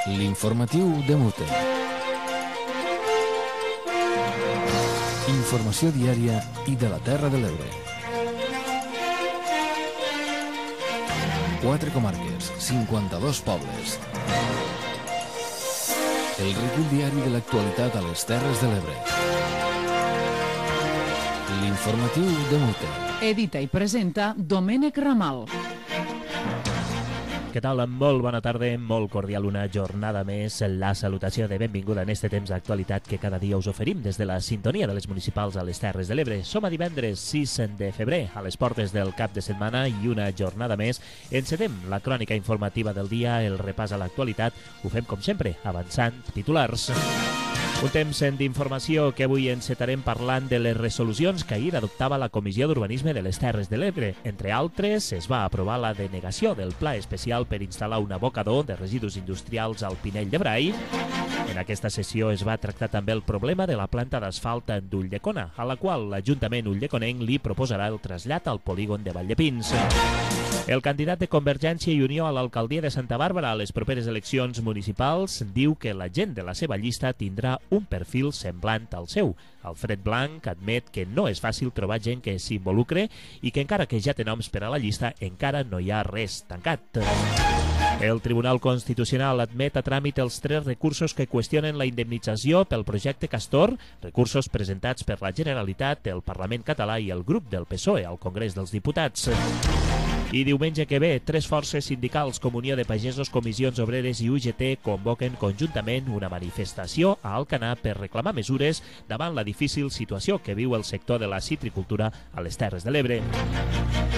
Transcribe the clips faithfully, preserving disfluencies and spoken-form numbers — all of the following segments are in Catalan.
L'informatiu de Mute. Informació diària i de la Terra de l'Ebre. Quatre comarques, cinquanta-dos pobles. El recull diari de l'actualitat a les Terres de l'Ebre. L'informatiu de Mute. Edita i presenta Domènec Ramal. Què tal? Molt bona tarda, molt cordial una jornada més. La salutació de benvinguda en este temps d'actualitat que cada dia us oferim des de la sintonia de les municipals a les Terres de l'Ebre. Som a divendres sis de febrer, a les portes del cap de setmana i una jornada més. Encetem la crònica informativa del dia, el repàs a l'actualitat. Ho fem com sempre, avançant titulars. Un temps d'informació que avui encetarem parlant de les resolucions que ahir adoptava la Comissió d'Urbanisme de les Terres de l'Ebre. Entre altres, es va aprovar la denegació del pla especial per instal·lar un abocador de residus industrials al Pinell de Brai. En aquesta sessió es va tractar també el problema de la planta d'asfalt d'Ulldecona, a la qual l'Ajuntament ulldeconenc li proposarà el trasllat al polígon de Valldepins. El candidat de Convergència i Unió a l'alcaldia de Santa Bàrbara a les properes eleccions municipals diu que la gent de la seva llista tindrà un perfil semblant al seu. Alfred Blanc admet que no és fàcil trobar gent que s'involucre i que encara que ja té noms per a la llista, encara no hi ha res tancat. El Tribunal Constitucional admet a tràmit els tres recursos que qüestionen la indemnització pel projecte Castor, recursos presentats per la Generalitat, el Parlament català i el grup del P S O E al Congrés dels Diputats. I diumenge que ve, tres forces sindicals, Comunió de Pagesos, Comissions Obreres i U G T convoquen conjuntament una manifestació a Alcanar per reclamar mesures davant la difícil situació que viu el sector de la citricultura a les Terres de l'Ebre.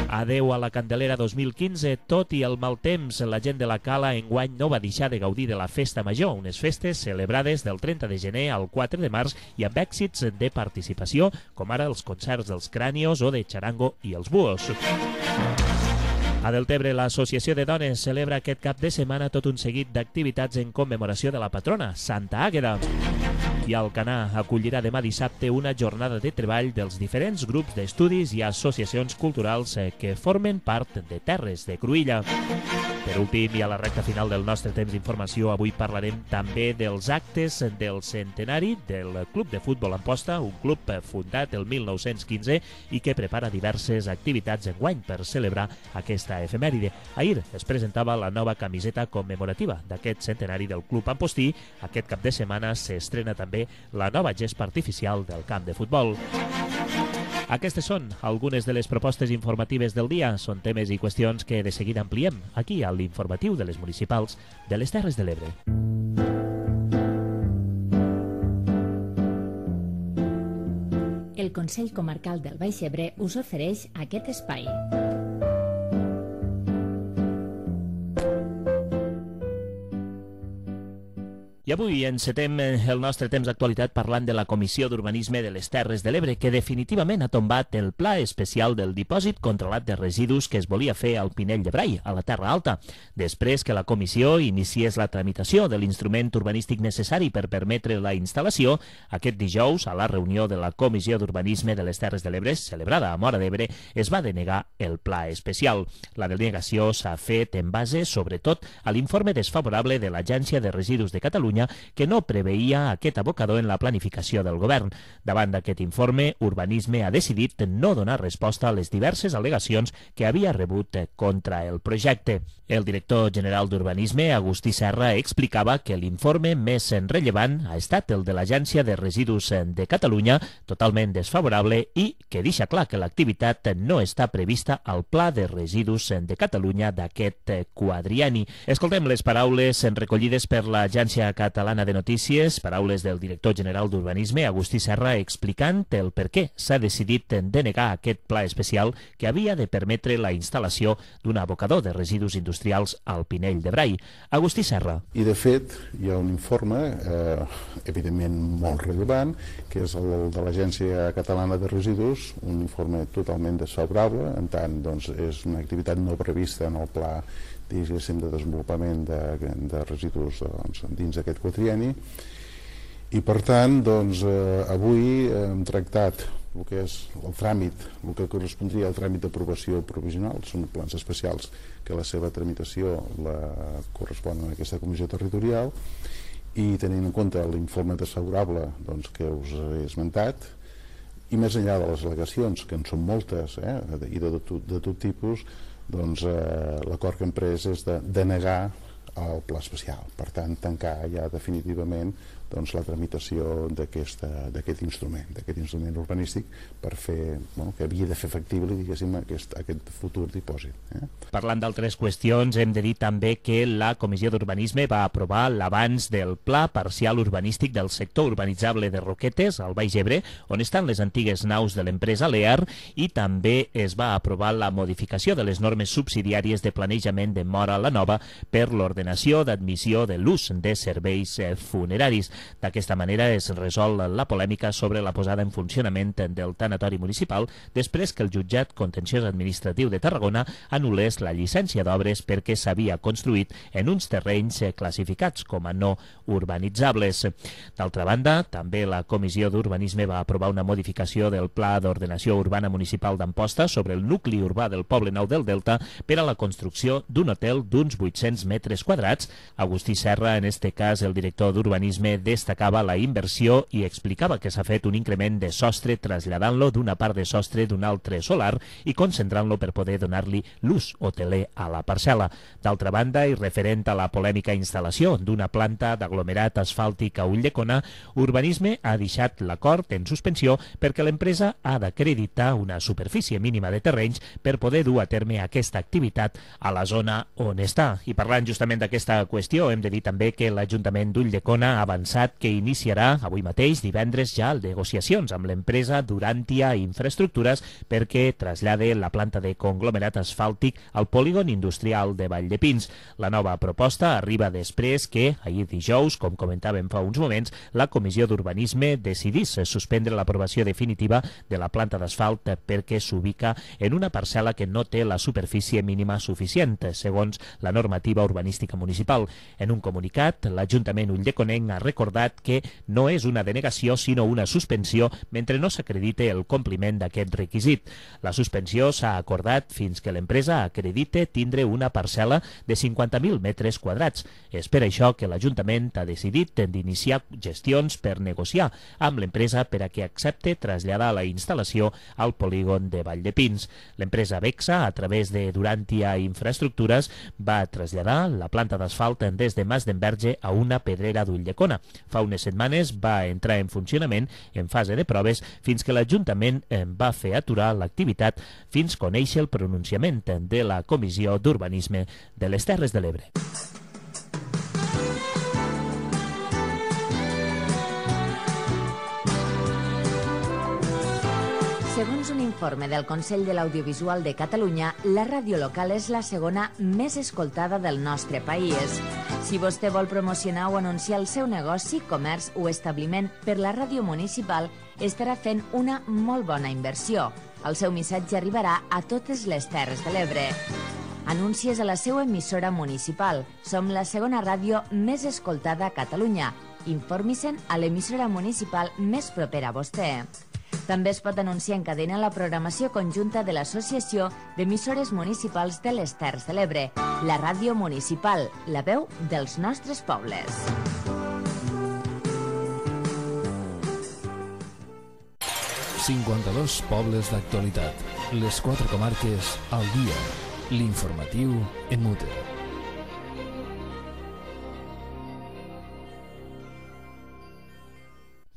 Adeu a la Candelera dos mil quinze, tot i el mal temps, la gent de la Cala enguany no va deixar de gaudir de la Festa Major, unes festes celebrades del trenta de gener al quatre de març i amb èxits de participació, com ara els concerts dels Crànios o de Charango i els Buos. A Deltebre, l'Associació de Dones celebra aquest cap de setmana tot un seguit d'activitats en commemoració de la patrona, Santa Àgueda. I Alcanar acollirà demà dissabte una jornada de treball dels diferents grups d'estudis i associacions culturals que formen part de Terres de Cruïlla. Per últim, i a la recta final del nostre temps d'informació, avui parlarem també dels actes del centenari del Club de Futbol Amposta, un club fundat el mil nou-cents quinze i que prepara diverses activitats enguany per celebrar aquesta efemèride. Ahir es presentava la nova camiseta commemorativa d'aquest centenari del Club Ampostí. Aquest cap de setmana s'estrena també la nova gespa artificial del camp de futbol. Aquestes són algunes de les propostes informatives del dia. Són temes i qüestions que de seguida ampliem aquí a l'informatiu de les municipals de les Terres de l'Ebre. El Consell Comarcal del Baix Ebre us ofereix aquest espai. I avui encetem el nostre temps d'actualitat parlant de la Comissió d'Urbanisme de les Terres de l'Ebre, que definitivament ha tombat el pla especial del dipòsit controlat de residus que es volia fer al Pinell de Brai, a la Terra Alta, després que la comissió iniciés la tramitació de l'instrument urbanístic necessari per permetre la instal·lació. Aquest dijous, a la reunió de la Comissió d'Urbanisme de les Terres de l'Ebre, celebrada a Móra d'Ebre, es va denegar el pla especial. La denegació s'ha fet en base, sobretot, a l'informe desfavorable de l'Agència de Residus de Catalunya, que no preveia aquest abocador en la planificació del govern. Davant d'aquest informe, Urbanisme ha decidit no donar resposta a les diverses al·legacions que havia rebut contra el projecte. El director general d'Urbanisme, Agustí Serra, explicava que l'informe més rellevant ha estat el de l'Agència de Residus de Catalunya, totalment desfavorable, i que deixa clar que l'activitat no està prevista al Pla de Residus de Catalunya d'aquest quadrienni. Escoltem les paraules recollides per l'Agència Catalana de Notícies, paraules del director general d'Urbanisme, Agustí Serra, explicant el per què s'ha decidit denegar aquest pla especial que havia de permetre la instal·lació d'un abocador de residus industrials al Pinell de Brai. Agustí Serra. I de fet hi ha un informe, eh, evidentment molt rellevant, que és el de l'Agència Catalana de Residus, un informe totalment desfavorable, en tant doncs, és una activitat no prevista en el pla diguéssim, de desenvolupament de, de residus doncs, dins d'aquest quadrienni. I per tant, doncs, eh, avui hem tractat el que és el tràmit, el que correspondria al tràmit d'aprovació provisional, són plans especials que la seva tramitació la correspon a aquesta comissió territorial, i tenint en compte l'informe desfavorable doncs, que us he esmentat, i més enllà de les al·legacions, que en són moltes, eh, i de tot, de tot tipus, doncs eh, l'acord que hem pres és de denegar el pla especial, per tant tancar ja definitivament doncs, la tramitació d'aquest instrument, d'aquest instrument urbanístic per fer, bueno, que havia de fer factible, diguéssim, aquest, aquest futur dipòsit. Eh? Parlant d'altres qüestions, hem de dir també que la Comissió d'Urbanisme va aprovar l'avanç del Pla Parcial Urbanístic del sector urbanitzable de Roquetes, al Baix Ebre, on estan les antigues naus de l'empresa Lear, i també es va aprovar la modificació de les normes subsidiàries de planejament de Móra la Nova per l'ordenació d'admissió de l'ús de serveis funeraris. D'aquesta manera es resol la polèmica sobre la posada en funcionament del tanatori municipal després que el jutjat contenciós administratiu de Tarragona anul·lés la llicència d'obres perquè s'havia construït en uns terrenys classificats com a no urbanitzables. D'altra banda, també la Comissió d'Urbanisme va aprovar una modificació del Pla d'Ordenació Urbana Municipal d'Amposta sobre el nucli urbà del Poble Nou del Delta per a la construcció d'un hotel d'uns vuit-cents metres quadrats. Agustí Serra, en este cas el director d'Urbanisme, destacava la inversió i explicava que s'ha fet un increment de sostre traslladant-lo d'una part de sostre d'un altre solar i concentrant-lo per poder donar-li l'ús hoteler a la parcel·la. D'altra banda, i referent a la polèmica instal·lació d'una planta d'aglomerat asfàltic a Ulldecona, Urbanisme ha deixat l'acord en suspensió perquè l'empresa ha d'acreditar una superfície mínima de terrenys per poder dur a terme aquesta activitat a la zona on està. I parlant justament d'aquesta qüestió, hem de dir també que l'Ajuntament d'Ulldecona ha avançat que iniciarà avui mateix, divendres, ja negociacions amb l'empresa Durantia Infraestructures perquè trasllade la planta de conglomerat asfàltic al polígon industrial de Valldepins. La nova proposta arriba després que, ahir dijous, com comentàvem fa uns moments, la Comissió d'Urbanisme decidís suspendre l'aprovació definitiva de la planta d'asfalt perquè s'ubica en una parcel·la que no té la superfície mínima suficient, segons la normativa urbanística municipal. En un comunicat, l'Ajuntament ulldeconenc ha recordat que no és una denegació sinó una suspensió mentre no s'acredite el compliment d'aquest requisit. La suspensió s'ha acordat fins que l'empresa acredite tindre una parcel·la de cinquanta mil metres quadrats. És per això que l'Ajuntament ha decidit d'iniciar gestions per negociar amb l'empresa per a que accepte traslladar la instal·lació al polígon de Valldepins. L'empresa Bexa, a través de Durantia Infraestructures, va traslladar la planta d'asfalt des de Mas d'Enverge a una pedrera d'Ulldecona. Fa unes setmanes va entrar en funcionament en fase de proves fins que l'Ajuntament va fer aturar l'activitat fins conèixer el pronunciament de la Comissió d'Urbanisme de les Terres de l'Ebre. Segons un informe del Consell de l'Audiovisual de Catalunya, la ràdio local és la segona més escoltada del nostre país. Si vostè vol promocionar o anunciar el seu negoci, comerç o establiment per la ràdio municipal, estarà fent una molt bona inversió. El seu missatge arribarà a totes les Terres de l'Ebre. Anuncies a la seva emissora municipal. Som la segona ràdio més escoltada a Catalunya. Informi-se'n a l'emissora municipal més propera a vostè. També es pot anunciar en cadena la programació conjunta de l'Associació d'Emissores Municipals de les Terres de l'Ebre, la ràdio municipal, la veu dels nostres pobles. cinquanta-dos pobles d'actualitat. Les quatre comarques al dia. L'informatiu en mute.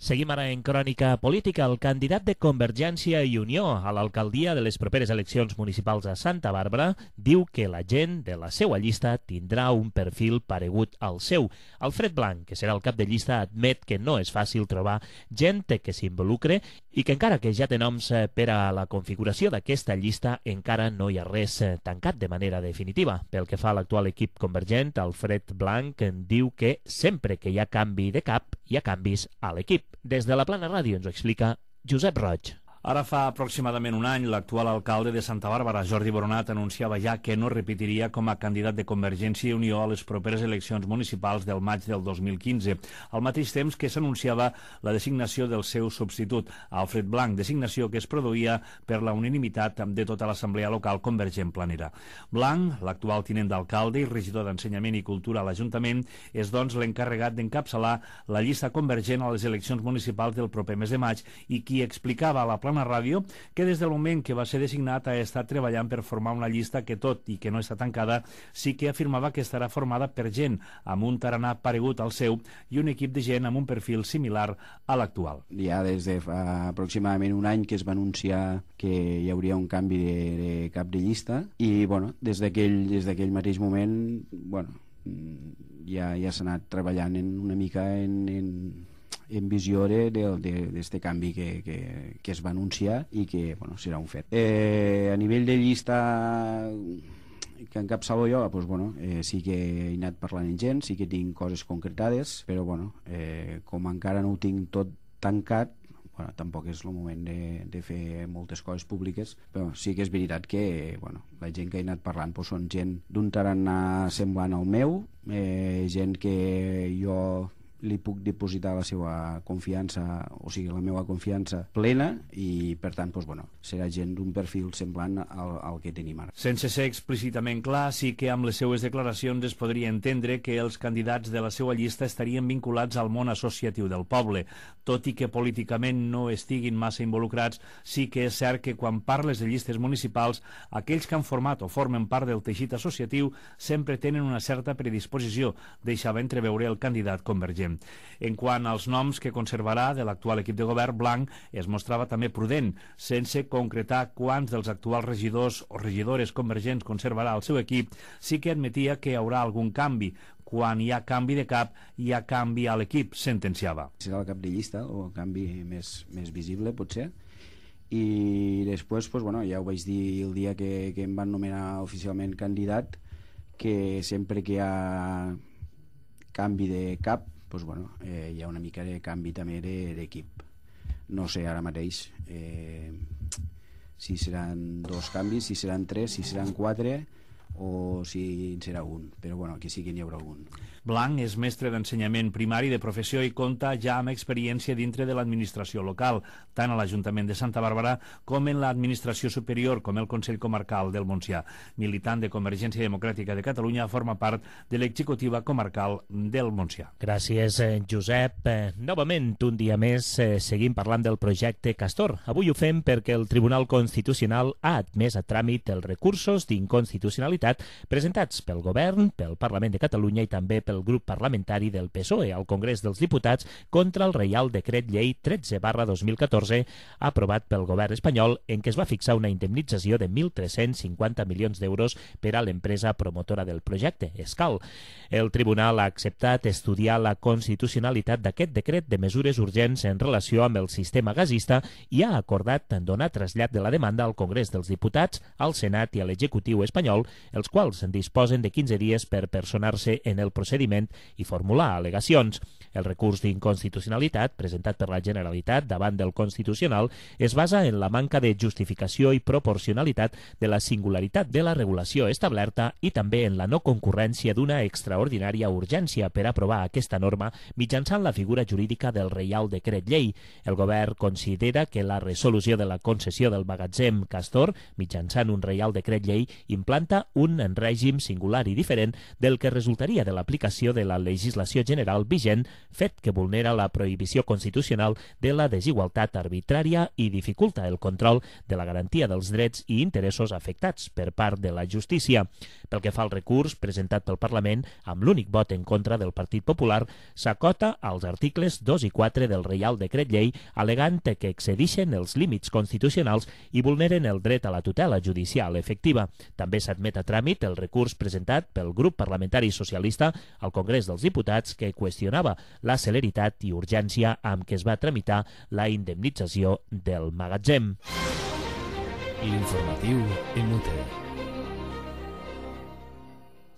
Seguim ara en crònica política. El candidat de Convergència i Unió a l'alcaldia de les properes eleccions municipals a Santa Bàrbara diu que la gent de la seva llista tindrà un perfil paregut al seu. Alfred Blanc, que serà el cap de llista, admet que no és fàcil trobar gent que s'involucre i que encara que ja té noms per a la configuració d'aquesta llista, encara no hi ha res tancat de manera definitiva. Pel que fa a l'actual equip convergent, Alfred Blanc diu que sempre que hi ha canvi de cap, hi ha canvis a l'equip. Des de la Plana Ràdio ens ho explica Josep Roig. Ara fa aproximadament un any, l'actual alcalde de Santa Bàrbara, Jordi Boronat, anunciava ja que no repetiria com a candidat de Convergència i Unió a les properes eleccions municipals del maig del dos mil quinze, al mateix temps que s'anunciava la designació del seu substitut, Alfred Blanc, designació que es produïa per la unanimitat de tota l'Assemblea Local Convergent Planera. Blanc, l'actual tinent d'alcalde i regidor d'Ensenyament i Cultura a l'Ajuntament, és doncs l'encarregat d'encapçalar la llista convergent a les eleccions municipals del proper mes de maig i qui explicava a la Plana Ràdio que des del moment que va ser designat ha estat treballant per formar una llista que, tot i que no està tancada, sí que afirmava que estarà formada per gent amb un tarannà paregut al seu i un equip de gent amb un perfil similar a l'actual. Ja des de fa aproximadament un any que es va anunciar que hi hauria un canvi de, de cap de llista i bueno, des d'aquell des d'aquell mateix moment bueno, ja, ja s'ha anat treballant en una mica en, en en visió d'aquest canvi que, que, que es va anunciar i que bueno, serà un fet. Eh, a nivell de llista que encapçalo jo, doncs, bueno, eh, sí que he anat parlant amb gent, sí que tinc coses concretades, però bueno, eh, com encara no ho tinc tot tancat, bueno, tampoc és el moment de, de fer moltes coses públiques, però sí que és veritat que bueno, la gent que he anat parlant doncs, són gent d'un tarannà semblant al meu, eh, gent que jo li puc dipositar la seva confiança, o sigui, la meva confiança plena i, per tant, doncs, bueno, serà gent d'un perfil semblant al, al que tenim ara. Sense ser explícitament clar, sí que amb les seues declaracions es podria entendre que els candidats de la seva llista estarien vinculats al món associatiu del poble. Tot i que políticament no estiguin massa involucrats, sí que és cert que quan parles de llistes municipals, aquells que han format o formen part del teixit associatiu sempre tenen una certa predisposició, deixava entreveure el candidat convergent. En quant als noms que conservarà de l'actual equip de govern, Blanc es mostrava també prudent, sense concretar quants dels actuals regidors o regidores convergents conservarà el seu equip, sí que admetia que hi haurà algun canvi. Quan hi ha canvi de cap, hi ha canvi a l'equip, sentenciava. Serà el cap de llista, o el canvi més, més visible, potser. I després, doncs, bueno, ja ho vaig dir el dia que, que em van nomenar oficialment candidat, que sempre que hi ha canvi de cap, doncs, bueno, eh, hi ha una mica de canvi també d'equip. No sé ara mateix eh, si seran dos canvis, si seran tres, si seran quatre o si en serà un, però bueno, aquí sí que n'hi haurà un. Blanc és mestre d'ensenyament primari de professió i compta ja amb experiència dintre de l'administració local, tant a l'Ajuntament de Santa Bàrbara com en l'administració superior, com el Consell Comarcal del Montsià. Militant de Convergència Democràtica de Catalunya, forma part de l'executiva comarcal del Montsià. Gràcies, Josep. Eh, novament, un dia més, eh, seguim parlant del projecte Castor. Avui ho fem perquè el Tribunal Constitucional ha admès a tràmit els recursos d'inconstitucionalitat presentats pel Govern, pel Parlament de Catalunya i també pel grup parlamentari del P S O E al Congrés dels Diputats contra el Reial Decret Llei tretze barra dos mil catorze aprovat pel Govern espanyol en què es va fixar una indemnització de mil tres-cents cinquanta milions d'euros per a l'empresa promotora del projecte, Escal. El Tribunal ha acceptat estudiar la constitucionalitat d'aquest decret de mesures urgents en relació amb el sistema gasista i ha acordat donar trasllat de la demanda al Congrés dels Diputats, al Senat i a l'Executiu espanyol, els quals disposen de quinze dies per personar-se en el procediment i formular al·legacions. El recurs d'inconstitucionalitat presentat per la Generalitat davant del Constitucional es basa en la manca de justificació i proporcionalitat de la singularitat de la regulació establerta i també en la no concurrència d'una extraordinària urgència per aprovar aquesta norma mitjançant la figura jurídica del Reial Decret Llei. El Govern considera que la resolució de la concessió del magatzem Castor mitjançant un Reial Decret Llei implanta un règim singular i diferent del que resultaria de l'aplicació de la legislació general vigent, fet que vulnera la prohibició constitucional de la desigualtat arbitrària i dificulta el control de la garantia dels drets i interessos afectats per part de la justícia. Pel que fa al recurs presentat pel Parlament, amb l'únic vot en contra del Partit Popular, s'acota als articles dos i quatre del Reial Decret Llei, alegant que excedixen els límits constitucionals i vulneren el dret a la tutela judicial efectiva. També s'admet a tràmit el recurs presentat pel grup parlamentari socialista al Congrés dels Diputats que qüestionava la celeritat i urgència amb què es va tramitar la indemnització del magatzem. L'informatiu en UTE.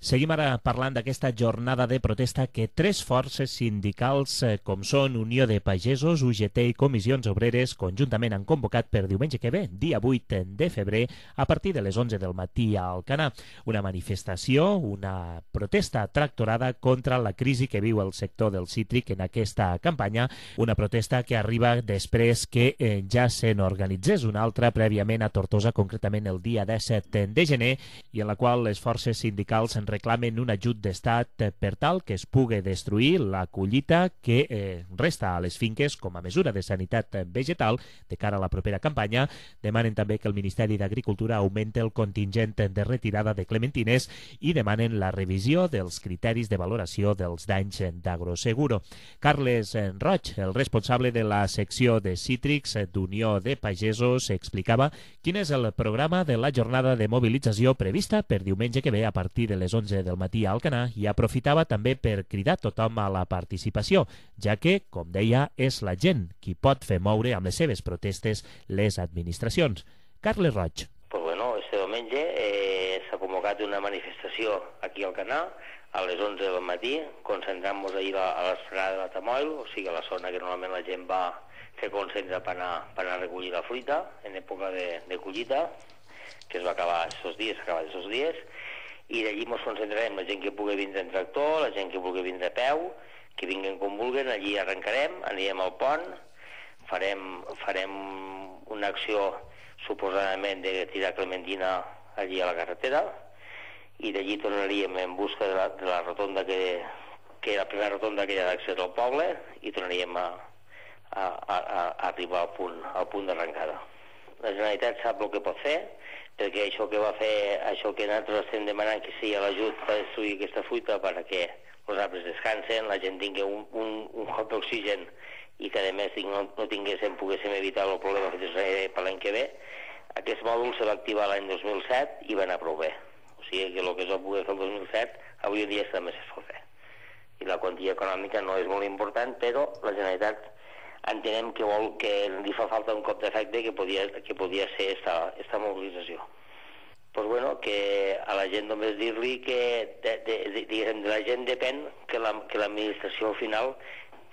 Seguim ara parlant d'aquesta jornada de protesta que tres forces sindicals com són Unió de Pagesos, U G T i Comissions Obreres conjuntament han convocat per diumenge que ve, dia vuit de febrer, a partir de les onze del matí a Alcanar. Una manifestació, una protesta tractorada contra la crisi que viu el sector del cítric en aquesta campanya, una protesta que arriba després que eh, ja se n'organitzés una altra prèviament a Tortosa, concretament el dia disset de gener, i en la qual les forces sindicals en reclamen un ajut d'estat per tal que es pugui destruir la collita que eh, resta a les finques com a mesura de sanitat vegetal de cara a la propera campanya. Demanen també que el Ministeri d'Agricultura augmenti el contingent de retirada de clementines i demanen la revisió dels criteris de valoració dels danys d'Agroseguro. Carles Roig, el responsable de la secció de cítrics d'Unió de Pagesos, explicava quin és el programa de la jornada de mobilització prevista per diumenge que ve a partir de les onze del matí a Alcanar, i aprofitava també per cridar tothom a la participació, ja que, com deia, és la gent qui pot fer moure amb les seves protestes les administracions. Carles Roig. Pues bueno, este diumenge eh, s'ha convocat una manifestació aquí a Alcanar a les onze del matí, concentrant-nos ahir a l'esplanada de la Tamoil, o sigui a la zona que normalment la gent va fer concentra per anar, per anar a recollir la fruita en època de, de collita, que es va acabar aquests dies, s'ha acabat aquests dies, i d'allí ens concentrarem, la gent que pugui vindre en tractor, la gent que pugui vindre a peu, que vinguin com vulguin, allí arrencarem, anirem al pont, farem, farem una acció suposadament de tirar clementina allí a la carretera, i d'allí tornaríem en busca de la, de la rotonda que, que era la primera rotonda que hi ha d'accés al poble, i tornaríem a, a, a, a arribar al punt, al punt d'arrencada. La Generalitat sap el que pot fer, perquè això que va fer, això que nosaltres estem demanant que sigui l'ajut per destruir aquesta fruita perquè els arbres descansen, la gent tingui un, un, un hop d'oxigen i que a més no, no tinguéssim, poguéssim evitar el problema que tindrem per l'any que ve. Aquest mòdul se va activar l'any dos mil set i va anar prou bé. O sigui que el que es va poder fer el dos mil set, avui en dia també es pot fer. I la quantia econòmica no és molt important, però la Generalitat entenem que vol que li fa falta un cop d'efecte que podia, que podia ser esta, esta mobilització. Pues bueno, que a la gent només dir-li que de, de, de, de, de la gent depèn que la, que l'administració final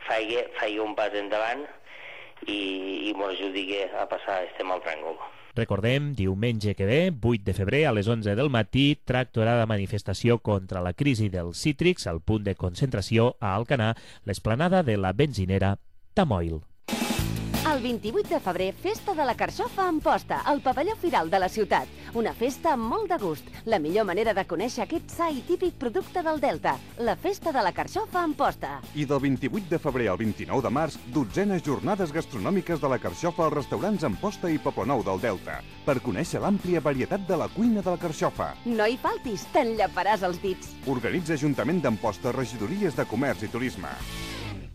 faci, faci un pas endavant i, i ens ajudi a passar este mal tràngol. Recordem, diumenge que ve, vuit de febrer, a les onze del matí, tractorada manifestació contra la crisi dels cítrics, al punt de concentració a Alcanar, l'esplanada de la benzinera Tamoil. El vint-i-vuit de febrer, Festa de la Carxofa a Amposta, al pavelló Firal de la ciutat. Una festa amb molt de gust. La millor manera de conèixer aquest sa i típic producte del Delta. La Festa de la Carxofa a Amposta. I del vint-i-vuit de febrer al vint-i-nou de març, dotzenes jornades gastronòmiques de la Carxofa als restaurants Amposta i Poblenou del Delta, per conèixer l'àmplia varietat de la cuina de la Carxofa. No hi faltis, t'enllaparàs els dits. Organitza Ajuntament d'Amposta, regidories de Comerç i Turisme.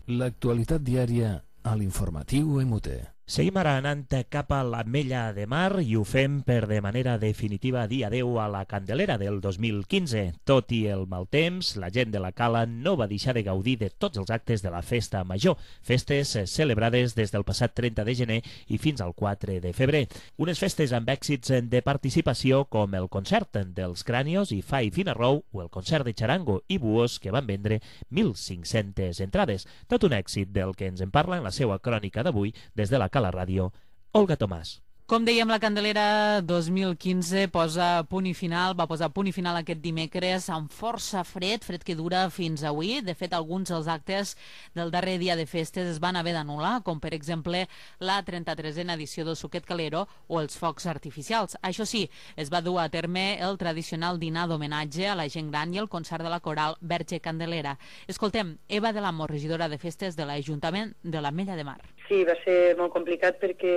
L'actualitat diària a l'informatiu M T. Seguim ara anant cap a l'Ametlla de Mar i ho fem per de manera definitiva dir adeu a la Candelera del dos mil quinze. Tot i el mal temps, la gent de la Cala no va deixar de gaudir de tots els actes de la festa major, festes celebrades des del passat trenta de gener i fins al quatre de febrer. Unes festes amb èxits de participació com el concert dels Crànios i Fai Finarrou o el concert de Charango i Buos, que van vendre mil cinc-centes entrades. Tot un èxit del que ens en parla en la seva crònica d'avui des de la a la ràdio, Olga Tomàs. Com dèiem, la Candelera dos mil quinze posa punt i final, va posar punt i final aquest dimecres amb força fred, fred que dura fins avui. De fet, alguns dels actes del darrer dia de festes es van haver d'anul·lar, com per exemple la trenta-tresena edició del Suquet Calero o els focs artificials. Això sí, es va dur a terme el tradicional dinar d'homenatge a la gent gran i el concert de la coral Verge Candelera. Escoltem Eva de l'Amor, regidora de festes de l'Ajuntament de l'Ametlla de Mar. Sí, va ser molt complicat perquè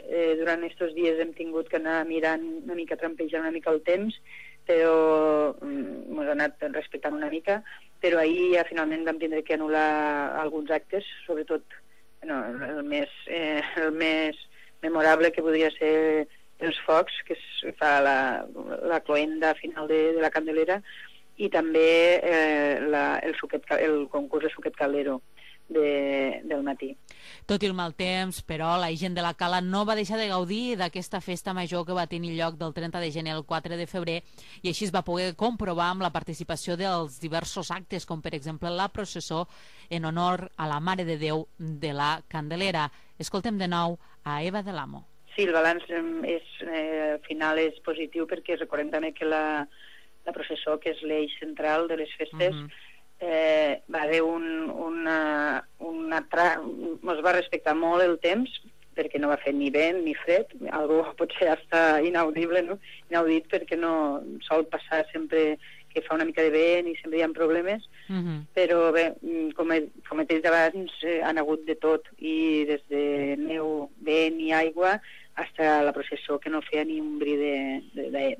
eh, durant aquests dies hem tingut que anar mirant una mica, trampejant una mica el temps, però ens mm, ha anat respectant una mica, però ahir ja finalment vam tindre que anul·lar alguns actes, sobretot no, el, més, eh, el més memorable que podria ser els focs, que es fa la, la cloenda final de, de la Candelera, i també eh, la, el, suquet, el concurs de Suquet Caldero. de, del matí. Tot i el mal temps, però, la gent de la Cala no va deixar de gaudir d'aquesta festa major que va tenir lloc del trenta de gener al quatre de febrer, i així es va poder comprovar amb la participació dels diversos actes, com per exemple la processó en honor a la Mare de Déu de la Candelera. Escoltem de nou a Eva de l'Amo. Sí, el balanç és, eh, al final és positiu, perquè recordem també que la, la processó, que és l'eix central de les festes, mm-hmm. Eh, va haver un, una, una tra... ens va respectar molt el temps, perquè no va fer ni vent ni fred, algo potser està inaudible, no? Inaudit, perquè no sol passar sempre que fa una mica de vent i sempre hi ha problemes, mm-hmm. però bé, com he, com he dit abans, eh, han hagut de tot, i des de neu, vent i aigua, hasta la processó, que no feia ni un bri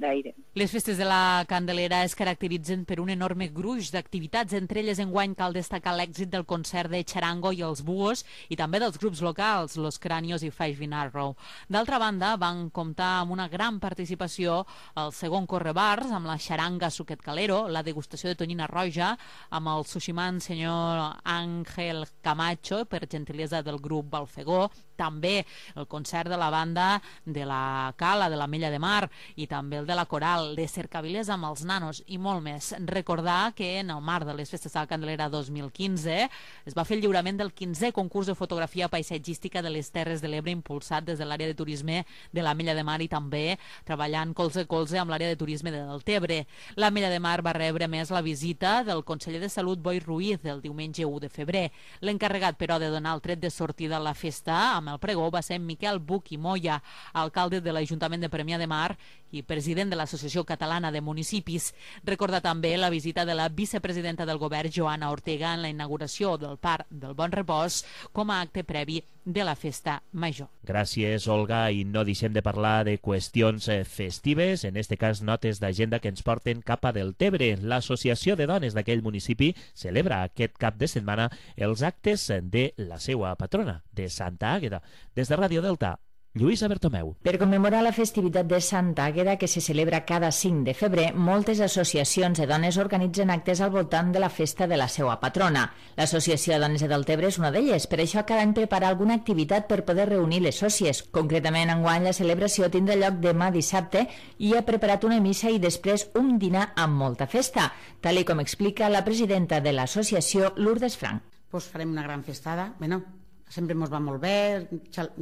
d'aire. Les festes de la Candelera es caracteritzen per un enorme gruix d'activitats. Entre elles, enguany cal destacar l'èxit del concert de Charango i els Búhos, i també dels grups locals, Los Cranios i Five in Arrow. D'altra banda, van comptar amb una gran participació al segon Correbars, amb la xaranga Suquet Calero, la degustació de tonyina roja, amb el sushiman senyor Ángel Camacho, per gentilesa del grup Balfegó, també el concert de la banda de la Cala, de la Mella de Mar, i també el de la Coral, de Cercavilés amb els nanos, i molt més. Recordar que en el marc de les festes de la Candelera dos mil quinze es va fer el lliurament del quinzè concurs de fotografia paisatgística de les Terres de l'Ebre, impulsat des de l'àrea de turisme de la Mella de Mar, i també treballant colze a colze amb l'àrea de turisme de Deltebre. La Mella de Mar va rebre més la visita del conseller de Salut, Boi Ruiz, el diumenge u de febrer. L'encarregat, però, de donar el tret de sortida a la festa amb el pregó va ser Miquel Buch i Moya, alcalde de l'Ajuntament de Premià de Mar i president de l'Associació Catalana de Municipis. Recordar també la visita de la vicepresidenta del govern, Joana Ortega, en la inauguració del Parc del Bon Repòs com a acte previ de la festa major. Gràcies, Olga, i no deixem de parlar de qüestions festives, en este cas notes d'agenda que ens porten cap a Deltebre. L'Associació de Dones d'aquell municipi celebra aquest cap de setmana els actes de la seva patrona, de Santa Àgueda. Des de Ràdio Delta, Lluïsa Bertomeu. Per commemorar la festivitat de Santa Àgueda, que se celebra cada cinc de febrer, moltes associacions de dones organitzen actes al voltant de la festa de la seva patrona. L'Associació de Dones de Deltebre és una d'elles, per això cada any prepara alguna activitat per poder reunir les sòcies. Concretament, enguany la celebració tindrà lloc demà dissabte i ha preparat una missa i després un dinar amb molta festa, tal i com explica la presidenta de l'associació, Lourdes Frank. Pues farem una gran festada, bueno, sempre ens va molt bé,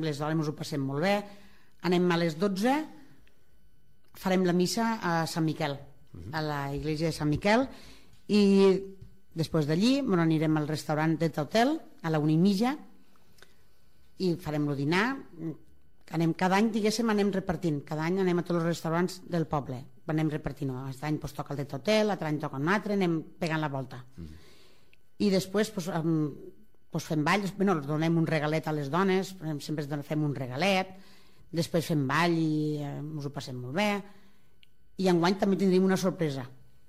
les dones ens ho passem molt bé, anem a les dotze, farem la missa a Sant Miquel, a la iglesia de Sant Miquel, i després d'allí bueno, anirem al restaurant de Hotel a la una i mitja i farem el dinar. Anem, cada any, diguéssim, anem repartint, cada any anem a tots els restaurants del poble, anem repartint, aquest any pues, toca el de Hotel, l'altre any toca un altre, anem pegant la volta. Mm. I després pues, um, pues fem ball, bueno, donem un regalet a les dones, sempre fem un regalet, després fem ball i eh, ens ho passem molt bé, i enguany també tindrem una sorpresa,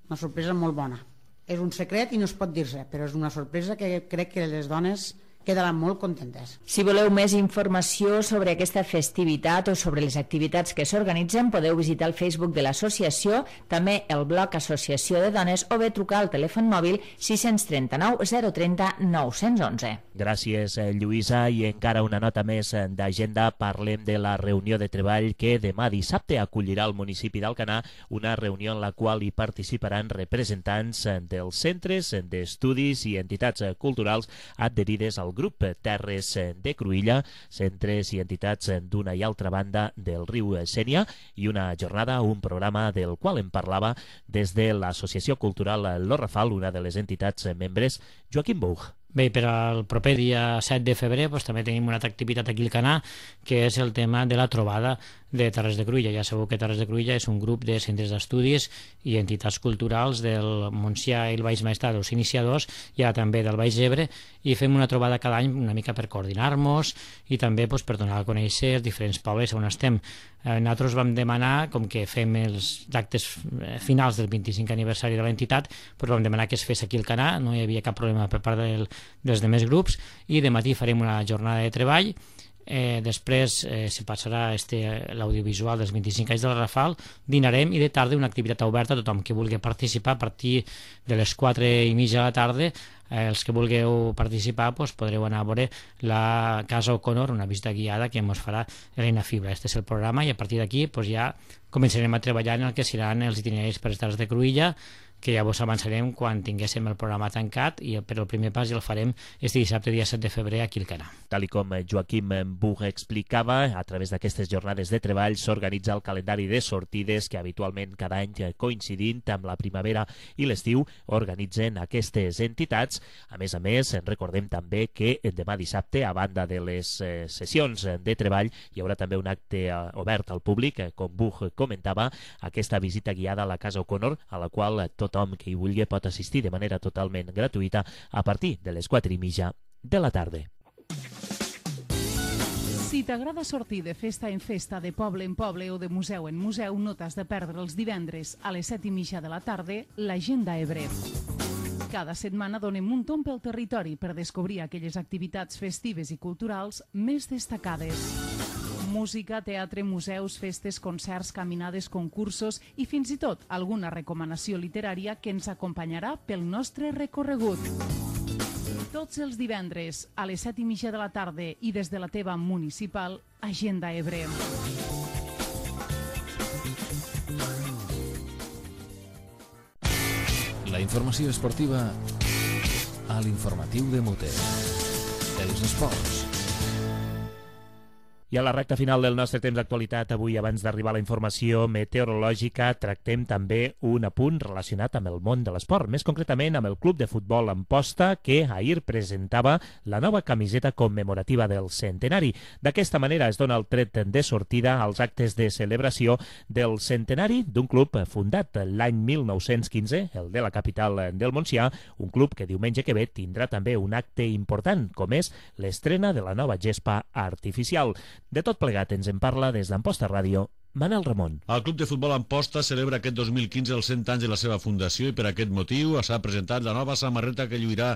una sorpresa molt bona. És un secret i no es pot dir-se, però és una sorpresa que crec que les dones quedaran molt contentes. Si voleu més informació sobre aquesta festivitat o sobre les activitats que s'organitzen, podeu visitar el Facebook de l'associació, també el blog Associació de Dones, o bé trucar al telèfon mòbil sis tres nou zero tres zero nou u un. Gràcies, Lluïsa, i encara una nota més d'agenda. Parlem de la reunió de treball que demà dissabte acollirà el municipi d'Alcanar, una reunió en la qual hi participaran representants dels centres d'estudis i entitats culturals adherides al grup Terres de Cruïlla, centres i entitats d'una i altra banda del riu Sénia, i una jornada, un programa del qual em parlava des de l'Associació Cultural Lo Rafal, una de les entitats membres, Joaquim Buch. Bé, per al proper dia set de febrer doncs, també tenim una altra activitat aquí al Canà, que és el tema de la trobada de Terres de Cruïlla. Ja sabeu que Terres de Cruïlla és un grup de centres d'estudis i entitats culturals del Montsià i el Baix Maestrat, els iniciadors, i ara també del Baix Ebre, i fem una trobada cada any una mica per coordinar-nos i també doncs, per donar a conèixer els diferents pobles on estem. Eh, nosaltres vam demanar, com que fem els actes finals del vint-i-cinquè aniversari de l'entitat, doncs vam demanar que es fes aquí al Canà, no hi havia cap problema per part del dels demés grups, i de matí farem una jornada de treball. Eh, després eh, se passarà este, l'audiovisual dels vint-i-cinc anys de la Rafal, dinarem, i de tarda una activitat oberta a tothom que vulgui participar a partir de les quatre i mitja de la tarda. eh, els que vulgueu participar doncs podreu anar a veure la Casa O'Connor, una visita guiada que ens farà Elena Fibra. Este és el programa i a partir d'aquí doncs, ja començarem a treballar en el que seran els itineraris per les Terres de Cruïlla, que ja vos avançarem quan tinguéssim el programa tancat, i per el primer pas ja el farem este dissabte, dia set de febrer, aquí al Canà. Tal i com Joaquim Bug explicava, a través d'aquestes jornades de treball s'organitza el calendari de sortides que habitualment cada any, coincidint amb la primavera i l'estiu, organitzen aquestes entitats. A més a més, recordem també que demà dissabte, a banda de les sessions de treball, hi haurà també un acte obert al públic, com Bug comentava, aquesta visita guiada a la Casa O'Connor, a la qual tothom que hi vulgui pot assistir de manera totalment gratuïta a partir de les quatre i mitja de la tarda. Si t'agrada sortir de festa en festa, de poble en poble o de museu en museu, no t'has de perdre els divendres a les set i mitja de la tarda l'Agenda Ebre. Cada setmana donem un tomb pel territori per descobrir aquelles activitats festives i culturals més destacades. Música, teatre, museus, festes, concerts, caminades, concursos i fins i tot alguna recomanació literària que ens acompanyarà pel nostre recorregut. Tots els divendres a les set i mitja de la tarda i des de la teva municipal, Agenda Ebre. La informació esportiva a l'informatiu de Mute. Els esports. I a la recta final del nostre temps d'actualitat, avui, abans d'arribar a la informació meteorològica, tractem també un apunt relacionat amb el món de l'esport, més concretament amb el Club de Futbol Amposta, que ahir presentava la nova camiseta commemorativa del centenari. D'aquesta manera es dona el tret de sortida als actes de celebració del centenari d'un club fundat l'any mil nou-cents quinze, el de la capital del Montsià, un club que diumenge que ve tindrà també un acte important, com és l'estrena de la nova gespa artificial. De tot plegat ens en parla des d'Amposta Ràdio, Manel Ramon. El Club de Futbol Amposta celebra aquest dos mil quinze els cent anys de la seva fundació i per aquest motiu s'ha presentat la nova samarreta que lluirà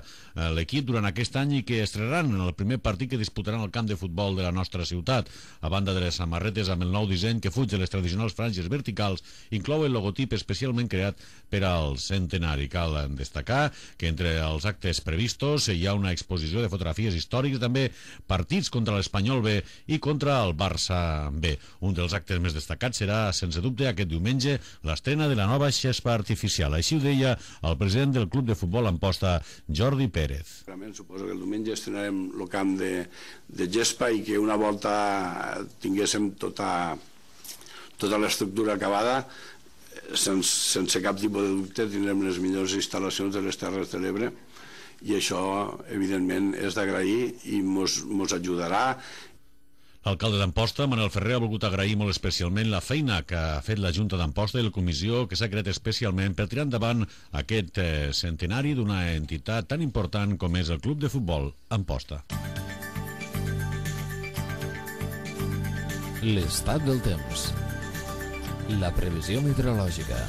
l'equip durant aquest any i que estrenaran en el primer partit que disputaran al camp de futbol de la nostra ciutat. A banda de les samarretes amb el nou disseny que fuig de les tradicionals franges verticals, inclou el logotip especialment creat per al centenari. Cal destacar que entre els actes previstos hi ha una exposició de fotografies històriques, també partits contra l'Espanyol B i contra el Barça B. Un dels actes més destacats destacat serà, sense dubte, aquest diumenge l'estrena de la nova gespa artificial. Així ho deia el president del Club de Futbol Amposta, Jordi Pérez. Realment suposo que el diumenge estrenarem el camp de, de gespa i que una volta tinguéssim tota, tota l'estructura acabada, sense, sense cap tipus de dubte tindrem les millors instal·lacions de les Terres de l'Ebre i això, evidentment, és d'agrair i mos, mos ajudarà. L'alcalde d'Amposta, Manel Ferrer, ha volgut agrair molt especialment la feina que ha fet la Junta d'Amposta i la comissió que s'ha creat especialment per tirar endavant aquest eh, centenari d'una entitat tan important com és el Club de Futbol Amposta. L'estat del temps. La previsió meteorològica.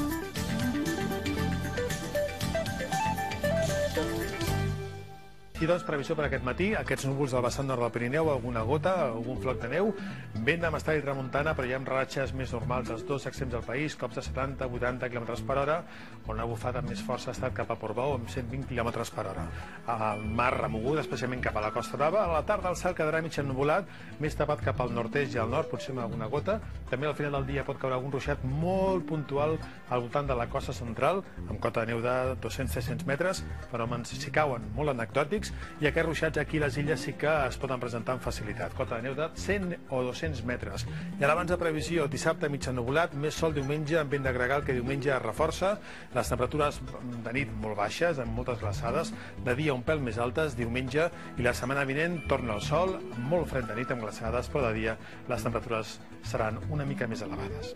I doncs previsió per aquest matí, aquests núvols del vessant nord del Pirineu, alguna gota, algun floc de neu, vent de mestral i tramuntana, però hi ha ratxes més normals als dos extrems del país, cops de setanta a vuitanta quilòmetres per hora, on la bufada més força ha estat cap a Portbou amb cent vint quilòmetres per hora. El mar remogut, especialment cap a la Costa Brava. A la tarda el cel quedarà mig ennuvolat, més tapat cap al nord-est i al nord, potser amb alguna gota. També al final del dia pot caure algun ruixat molt puntual al voltant de la costa central, amb cota de neu de dos-cents a tres-cents metres, fenòmens si cauen molt anecdòtics, i aquests ruixats aquí a les illes sí que es poden presentar amb facilitat. Cota de neu de cent o dos-cents metres. I ara abans de previsió, dissabte mig ennuvolat, més sol diumenge amb vent de gregal que diumenge es reforça. Les temperatures de nit molt baixes, amb moltes glaçades, de dia un pèl més altes, diumenge, i la setmana vinent torna el sol, molt fred de nit amb glaçades, però de dia les temperatures seran una mica més elevades.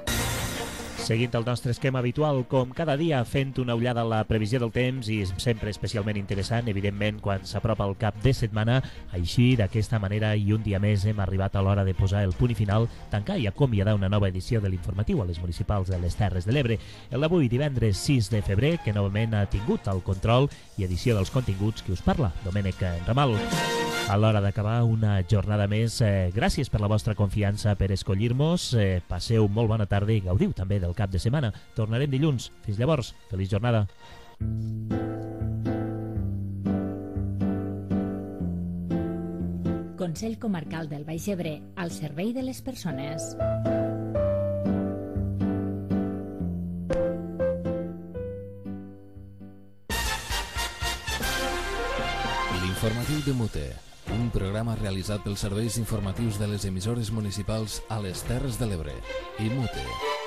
Seguint el nostre esquema habitual, com cada dia, fent una ullada a la previsió del temps i sempre especialment interessant, evidentment, quan s'apropa el cap de setmana. Així, d'aquesta manera, i un dia més, hem arribat a l'hora de posar el punt i final, tancar i acomiadar una nova edició de l'informatiu a les municipals de les Terres de l'Ebre. El d'avui, divendres sis de febrer, que novament ha tingut el control i edició dels continguts que us parla, Domènec Ramal. A l'hora d'acabar una jornada més, eh, gràcies per la vostra confiança per escollir-nos, eh, passeu molt bona tarda i gaudiu també del cap de setmana. Tornarem dilluns. Fins llavors, feliç jornada. Consell Comarcal del Baix Ebre, al servei de les persones. L'informatiu de Mute, un programa realitzat pels serveis informatius de les emissores municipals a les Terres de l'Ebre i Mute.